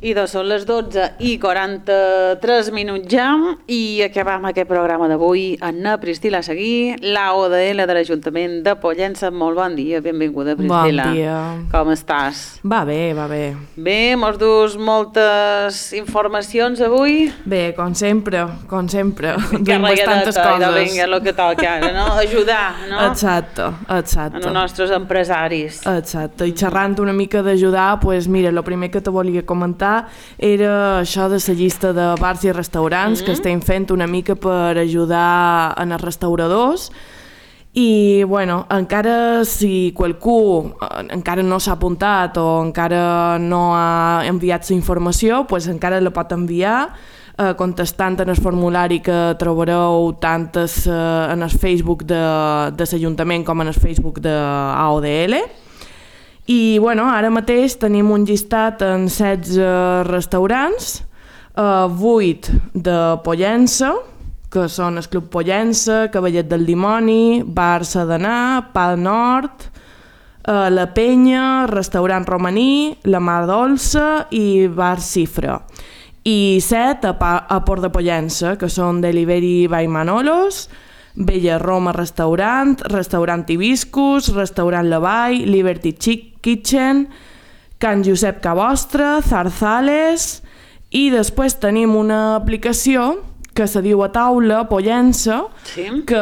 I són les 12:43 ja i acabam aquest programa d'avui. Anna Priscila Seguí, la ODL de l'Ajuntament de Pollença. Molt bon dia, benvinguda, Priscila. Bon dia. Com estàs? Va bé, va bé. Bé, mos dus moltes informacions avui. Bé, com sempre. Duim bastantes coses. coses. Vinga, el que toca ara, no? Ajudar, no? Exacte. Els nostres empresaris. Exacte, i xerrant una mica d'ajudar, doncs mira, el primer que te volia comentar era això de la llista de bars i restaurants que estem fent una mica per ajudar en els restauradors. I, bueno, encara si qualcú encara no s'ha apuntat o encara no ha enviat la informació, doncs encara la pot enviar contestant en el formulari que trobareu tant en el Facebook de l'Ajuntament com en el Facebook de AODL. I, bueno, ara mateix tenim un llistat en 16 restaurants, 8 de Pollença, que són el Club Pollença, Cavallet del Dimoni, Bar Sedanar, Pa Nord, La Penya, Restaurant Romaní, La Mar Dolça i Bar Cifra. I 7 a Port de Pollença, que són Delivery by Manolos, Bella Roma Restaurant, Restaurant Hibiscus, Restaurant La Vall, Liberty Kitchen, Can Josep Cabostra, Zarzales, i després tenim una aplicació que se diu A Taula Pollença, que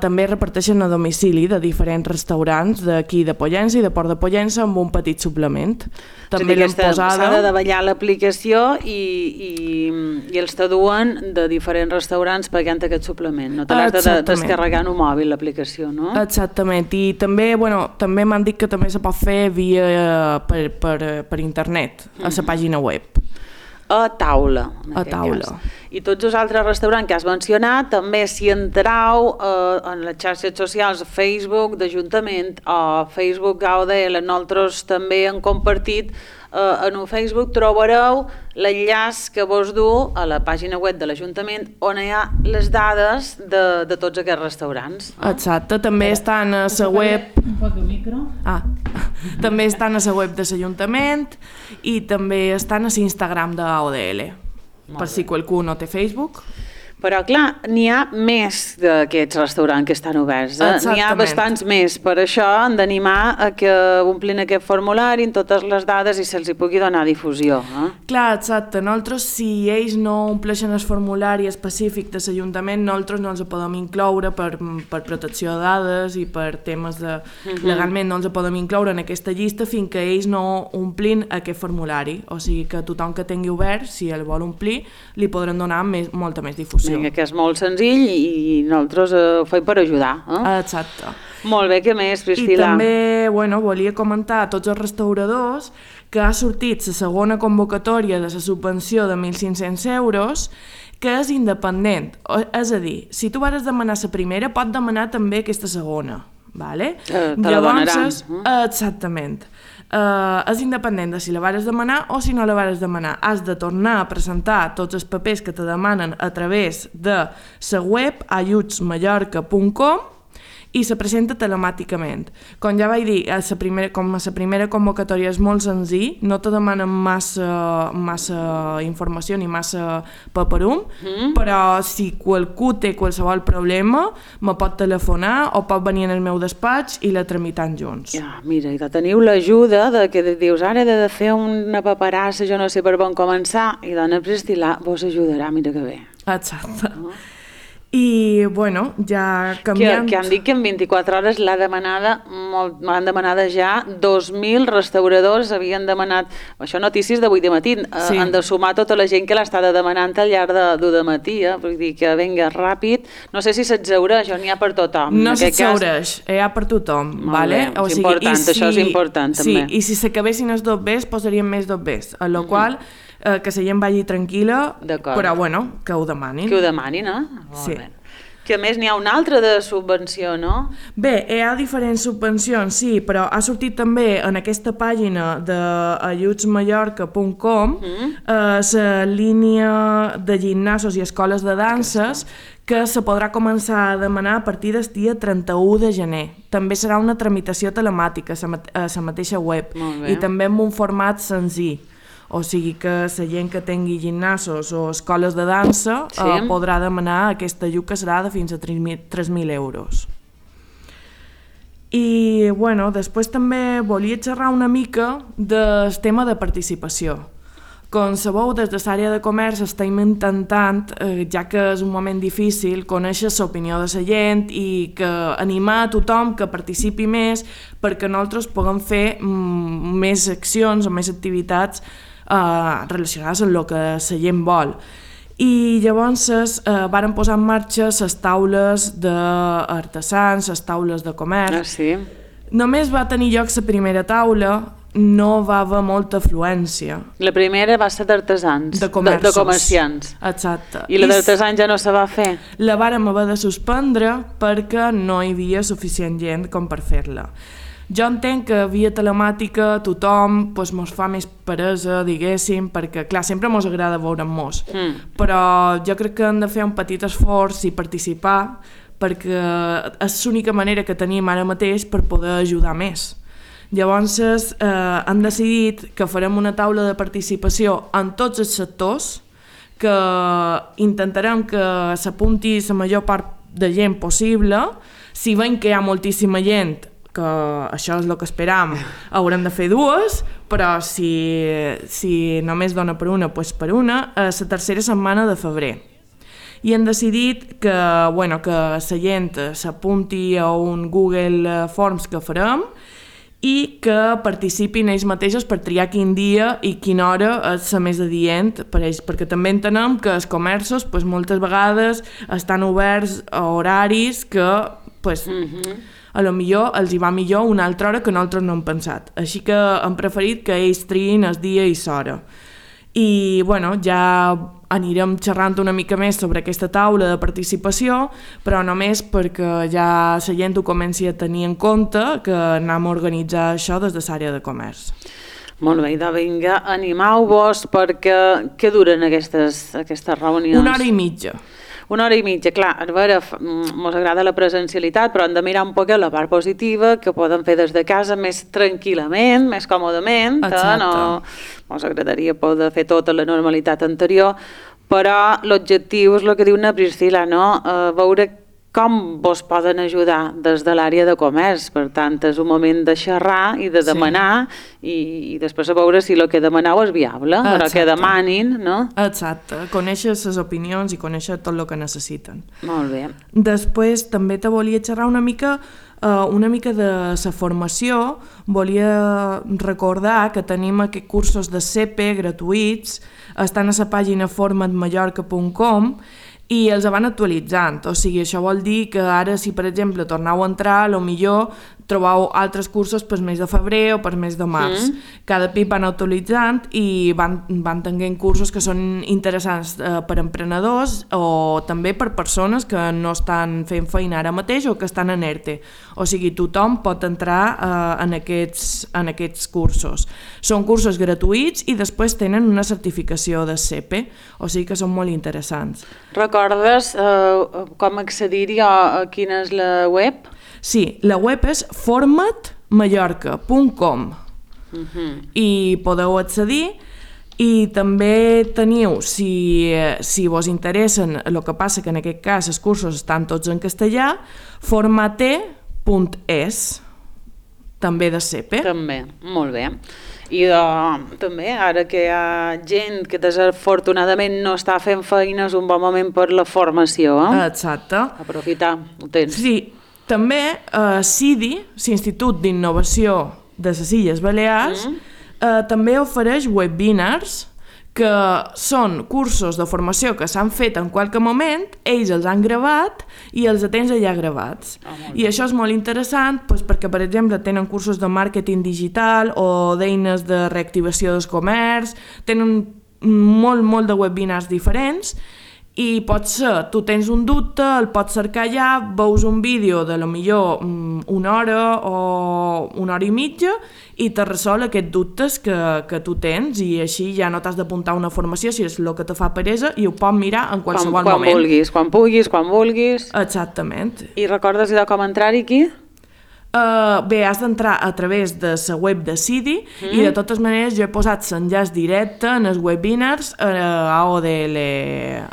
també reparteixen a domicili de diferents restaurants d'aquí de Pollença i de Port de Pollença amb un petit suplement. També l'hem posada. S'ha de davallar l'aplicació i els t'aduen de diferents restaurants pagant aquest suplement. No te l'has de descarregar en un mòbil, l'aplicació, no? Exactament. I també, també m'han dit que també se pot fer via per internet, a la pàgina web. A Taula. A Taula. I tots els altres restaurants que has mencionat, també si entrau en les xarxes socials, Facebook d'Ajuntament o Facebook AODL, nosaltres també hem compartit en un Facebook, trobareu l'enllaç que vos du a la pàgina web de l'Ajuntament on hi ha les dades de tots aquests restaurants. Exacte, també estan a la web... Un poc de micro. També estan a la web de l'Ajuntament i també estan a l'Instagram d'AODL, per si qualcú no té Facebook. Però, clar, n'hi ha més d'aquests restaurants que estan oberts. N'hi ha bastants més. Per això hem d'animar a que omplin aquest formulari amb totes les dades i se'ls hi pugui donar difusió. Clar, exacte. Nosaltres, si ells no ompleixen el formulari específic de l'Ajuntament, nosaltres no els podem incloure per protecció de dades i per temes de... Legalment no els podem incloure en aquesta llista fins que ells no omplin aquest formulari. O sigui que tothom que tingui obert, si el vol omplir, li podran donar molta més difusió. Vinga, que és molt senzill i nosaltres ho fem per ajudar. Exacte. Molt bé, què més, Priscila? I també, volia comentar a tots els restauradors que ha sortit la segona convocatòria de la subvenció de 1.500 euros, que és independent. És a dir, si tu vas demanar la primera, pots demanar també aquesta segona. Te la donaran. Exactament. És independent de si la vas demanar o si no la vas demanar. Has de tornar a presentar tots els papers que te demanen a través de la web ajutsmallorca.com i se presenta telemàticament. Com ja vaig dir, com la primera convocatòria és molt senzill, no te demanen massa informació ni massa paperum, però si qualcú té qualsevol problema, me pot telefonar o pot venir en el meu despatx i la tramitant junts. Ja, mira, i teniu l'ajuda de que dius, ara he de fer una paperassa, jo no sé per on començar, i dona Priscila vos ajudarà, mira que bé. Exacte. I, ja canviant... Que han dit que en 24 hores l'han demanada ja 2.000 restauradors, havien demanat... Això notícies d'avui de matí, han de sumar tota la gent que l'ha estat demanant al llarg de matí, vull dir que vinga ràpid. No sé si s'exhaureix o n'hi ha per tothom. No s'exhaureix, hi ha per tothom. És important, això és important també. Sí, i si s'acabessin els dobbers, posaríem més dobbers, a la qual... que la gent vagi tranquil·la, però que ho demanin. Que ho demanin, Sí. Que a més n'hi ha una altra de subvenció, no? Bé, hi ha diferents subvencions, sí, però ha sortit també en aquesta pàgina d'ajutsmallorca.com la línia de gimnasos i escoles de danses que se podrà començar a demanar a partir del dia 31 de gener. També serà una tramitació telemàtica a la mateixa web i també en un format senzill. O sigui que la gent que tingui gimnasos o escoles de dansa podrà demanar aquest ajut que serà de fins a 3.000 euros. I bueno, després també volia xerrar una mica del tema de participació. Com sabeu, des de l'àrea de comerç estem intentant, ja que és un moment difícil, conèixer l'opinió de la gent i que animar a tothom que participi més perquè nosaltres puguem fer més accions o més activitats relacionades amb el que la gent vol. I llavors varen posar en marxa les taules d'artesans, les taules de comerç. Sí. Només va tenir lloc la primera taula, no va haver molta afluència. La primera va ser d'artesans, de comerciants. Exacte. I la d'artesans ja no se va fer? La vàrem haver de suspendre perquè no hi havia suficient gent com per fer-la. Jo entenc que via telemàtica tothom mos fa més peresa, diguéssim, perquè clar, sempre mos agrada veure'm-mos, però jo crec que hem de fer un petit esforç i participar perquè és l'única manera que tenim ara mateix per poder ajudar més. Llavors han decidit que farem una taula de participació en tots els sectors, que intentarem que s'apunti la major part de gent possible. Si veiem que hi ha moltíssima gent, que això és el que esperam, haurem de fer dues, però si només dona per una, doncs per una, a la tercera setmana de febrer. I han decidit que la gent s'apunti a un Google Forms que farem i que participin ells mateixos per triar quin dia i quina hora és la més adient per ells, perquè també entenem que els comerços moltes vegades estan oberts a horaris que a lo millor els hi va millor una altra hora que nosaltres no hem pensat. Així que hem preferit que ells triïn el dia i l'hora. I ja anirem xerrant una mica més sobre aquesta taula de participació, però només perquè ja la gent ho comenci a tenir en compte que anem a organitzar això des de l'àrea de comerç. Molt bé, vinga, animeu-vos perquè què duren aquestes reunions? 1 hora i mitja. 1 hora i mitja, clar, a veure, ens agrada la presencialitat, però hem de mirar un poc la part positiva, que poden fer des de casa més tranquil·lament, més còmodament, ens agradaria poder fer tota la normalitat anterior, però l'objectiu és el que diu na Priscila, no? Veure com vos poden ajudar des de l'àrea de comerç. Per tant, és un moment de xerrar i de demanar i després a veure si el que demaneu és viable, però que demanin, no? Exacte, conèixer les opinions i conèixer tot el que necessiten. Molt bé. Després també te volia xerrar una mica de la formació. Volia recordar que tenim aquests cursos de CP gratuïts, estan a la pàgina formatmallorca.com i els van actualitzant, o sigui, això vol dir que ara si per exemple torneu a entrar, potser trobeu altres cursos per mes de febrer o per mes de març. Cada pip van actualitzant i van tenint cursos que són interessants per emprenedors o també per persones que no estan fent feina ara mateix o que estan en ERTE. O sigui, tothom pot entrar en aquests cursos. Són cursos gratuïts i després tenen una certificació de CP, o sigui que són molt interessants. Recordes com accedir-hi a quina és la web? Sí, la web és formatmallorca.com i podeu accedir i també teniu, si vos interessen, el que passa que en aquest cas els cursos estan tots en castellà, formate.es, també de CP. També, molt bé. I també, ara que hi ha gent que desafortunadament no està fent feina, és un bon moment per la formació. Exacte. Aprofitar, ho tens. Sí, també CIDI, l'Institut d'Innovació de les Illes Balears, també ofereix webinars, que són cursos de formació que s'han fet en qualque moment, ells els han gravat i els tens allà gravats. I això és molt interessant perquè, per exemple, tenen cursos de màrqueting digital o d'eines de reactivació del comerç, tenen molt de webinars diferents i potser tu tens un dubte, el pots cercar allà, veus un vídeo de millor 1 hora o 1 hora i mitja i te resol aquests dubtes que tu tens i així ja no t'has d'apuntar una formació si és el que te fa peresa i ho pots mirar en qualsevol moment. Quan vulguis. Exactament. I recordes com entrar-hi aquí? Bé, has d'entrar a través de la web de CIDI i de totes maneres jo he posat l'enllaç directe en els webinars a AODL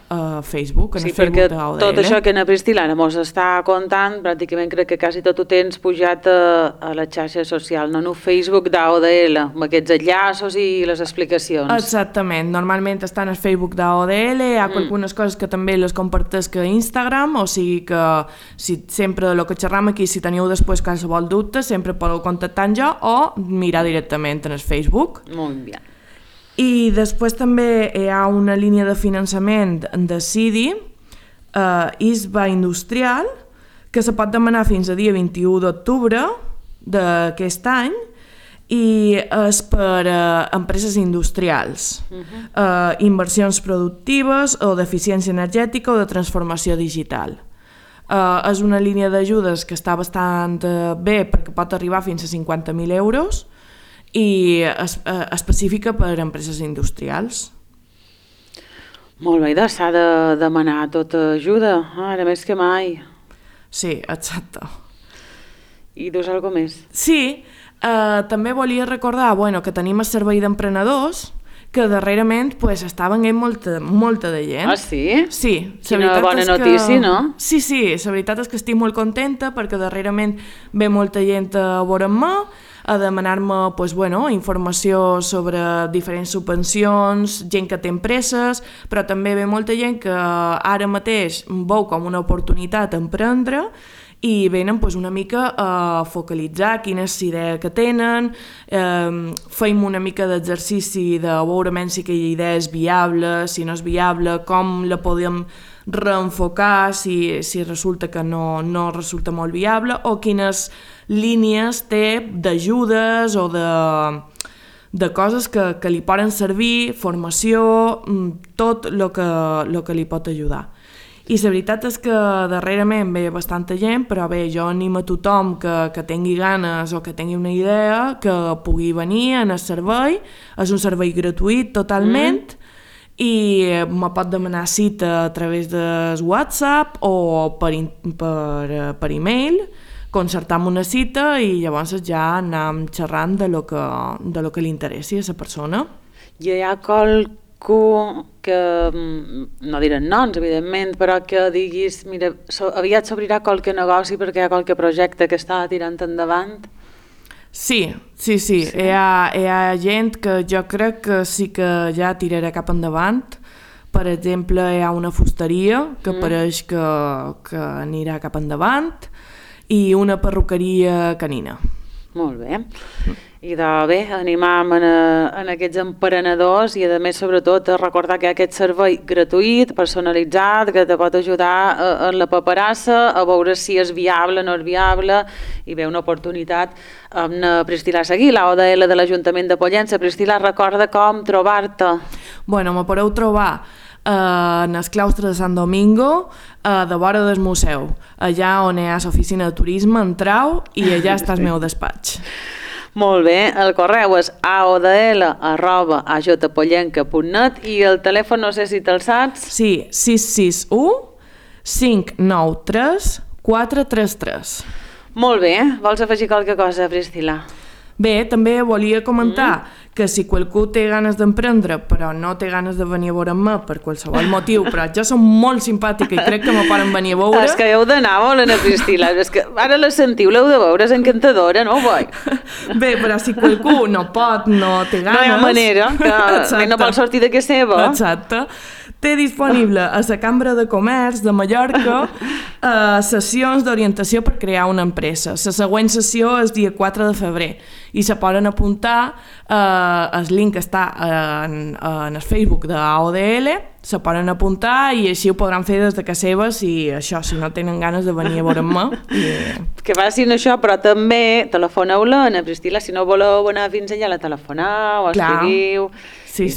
a Facebook, en el Facebook d'AODL. Tot això que na Priscila mos està contant, pràcticament crec que quasi tot ho tens pujat a la xarxa social, no? En el Facebook d'AODL, amb aquests enllaços i les explicacions. Exactament, normalment estan al Facebook d'AODL, hi ha algunes coses que també les compartesc a Instagram, o sigui que si sempre del que xerram aquí, si teniu després qualsevol dubte, sempre podeu contactar amb jo o mirar directament en el Facebook. Molt bé. I després també hi ha una línia de finançament de CIDI, ISBA Industrial, que se pot demanar fins a dia 21 d'octubre d'aquest any i és per empreses industrials, inversions productives o d'eficiència energètica o de transformació digital. És una línia d'ajudes que està bastant bé perquè pot arribar fins a 50.000 euros i específica per a empreses industrials. Molt bé, s'ha de demanar tota ajuda, ara més que mai. Sí, exacte. I dius alguna cosa més? Sí, també volia recordar que tenim el servei d'emprenedors que darrerament està venint molta de gent. Ah, sí? Sí. Quina bona notícia, no? Sí, la veritat és que estic molt contenta perquè darrerament ve molta gent a veure'm-me, a demanar-me informació sobre diferents subvencions, gent que té empreses, però també ve molta gent que ara mateix veu com una oportunitat emprendre i venen una mica a focalitzar quina és l'idea que tenen, feim una mica d'exercici de veure si aquella idea és viable, si no és viable, com la podem reenfocar si resulta que no resulta molt viable, o quines línies té d'ajudes o de coses que li poden servir, formació, tot el que li pot ajudar. I la veritat és que darrerament ve bastanta gent, però bé, jo animo a tothom que tingui ganes o que tingui una idea que pugui venir en el servei. És un servei gratuït totalment i me pot demanar cita a través de WhatsApp o per e-mail, concertam una cita i llavors ja anem xerrant de lo que li interessi a la persona. Hi ha qualcú que, no diré noms, evidentment, però que diguis, mira, aviat s'obrirà qualque negoci perquè hi ha qualque projecte que està tirant endavant? Sí. Hi ha gent que jo crec que sí que ja tirarà cap endavant. Per exemple, hi ha una fusteria que pareix que anirà cap endavant i una perruqueria canina. Molt bé. I bé, animam en aquests emprenedors i a més sobretot a recordar que hi ha aquest servei gratuït, personalitzat, que te pot ajudar en la paperassa, a veure si és viable o no és viable i ve una oportunitat amb Priscila Seguí, l'AODL de l'Ajuntament de Pollença. Priscila, recorda com trobar-te. Me podeu trobar en el claustre de Sant Domingo, de vora del museu, allà on hi ha l'oficina de turisme, entreu i allà està el meu despatx. Molt bé, el correu és aodl@ajpollenca.net i el telèfon no sé si te'l saps? Sí, 661 593 433. Molt bé, vols afegir qualque cosa, Priscila? Bé, també volia comentar que si qualcú té ganes d'emprendre però no té ganes de venir a veure'm per qualsevol motiu, però jo som molt simpàtica i crec que me poden venir a veure. És que heu d'anar molt a Priscila, és que ara la sentiu, l'heu de veure, és encantadora, no? Bé, però si qualcú no pot, no té ganes... No hi ha manera, que no vol sortir de casa seva. Exacte. Té disponible a la Cambra de Comerç de Mallorca sessions d'orientació per crear una empresa. La següent sessió és dia 4 de febrer i se poden apuntar, el link està en el Facebook de AODL, se poden apuntar i així ho podran fer des de casa seva si no tenen ganes de venir a veure'm. Que facin això, però també telefoneu-la a Priscila, si no voleu anar fins allà la telefoneu, escriviu... Sí.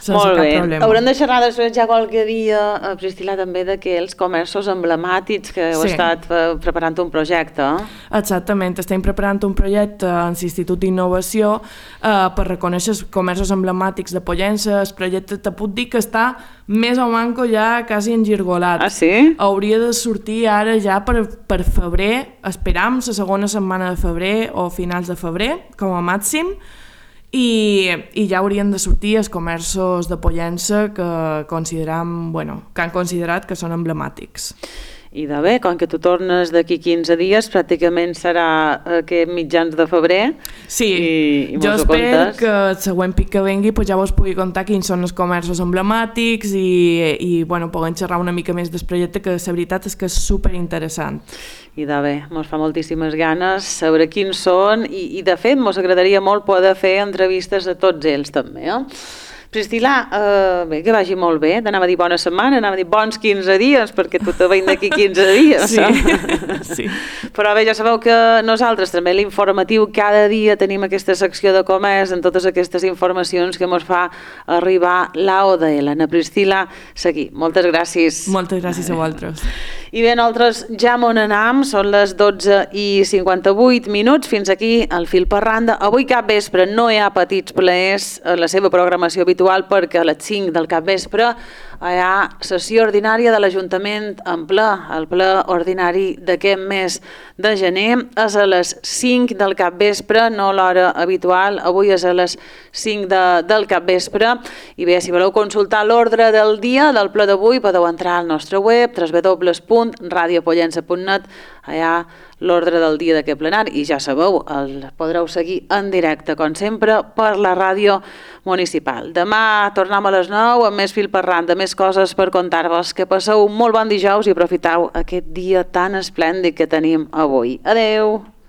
Molt bé. Haurem de xerrar després ja qualque dia, Priscila, també d'aquells comerços emblemàtics que heu estat preparant un projecte. Exactament, estem preparant un projecte en l'Institut d'Innovació per reconèixer els comerços emblemàtics de Pollença. El projecte te puc dir que està està més o manco ja quasi engirgolat. Ah, sí? Hauria de sortir ara ja per febrer, esperam, la segona setmana de febrer o finals de febrer, com a màxim, i ja haurien de sortir els comerços de Pollença que han considerat que són emblemàtics. I de bé, com que tu tornes d'aquí 15 dies, pràcticament serà aquest mitjans de febrer. Sí, i jo espero que el següent pic que vengui ja vos pugui contar quins són els comerços emblemàtics i puguem xerrar una mica més del projecte, que la veritat és que és superinteressant. I de bé, ens fa moltíssimes ganes saber quins són i de fet ens agradaria molt poder fer entrevistes a tots ells també, Priscil·la, bé, que vagi molt bé, t'anava a dir bona setmana, anava a dir bons 15 dies, perquè tu te veiem d'aquí 15 dies. Sí. Però bé, ja sabeu que nosaltres també l'informatiu cada dia tenim aquesta secció de comerç en totes aquestes informacions que ens fa arribar l'AODL. Ana Priscil·la Seguí, moltes gràcies. Moltes gràcies a vosaltres. I bé, nosaltres ja m'on anam, són les 12:58, fins aquí el fil per randa. Avui cap vespre no hi ha petits plaers a la seva programació habitual perquè a les 5 del capvespre hi ha sessió ordinària de l'Ajuntament en ple. El ple ordinari d'aquest mes de gener és a les 5 del capvespre, no l'hora habitual, avui és a les 5 del capvespre. I bé, si voleu consultar l'ordre del dia del ple d'avui podeu entrar al nostre web www.radiopollença.net, allà l'ordre del dia d'aquest plenari, i ja sabeu, el podreu seguir en directe, com sempre, per la ràdio municipal. Demà tornem a les 9 amb més fil per randa, més coses per contar-vos. Que passeu un molt bon dijous i aprofiteu aquest dia tan esplèndid que tenim avui. Adeu!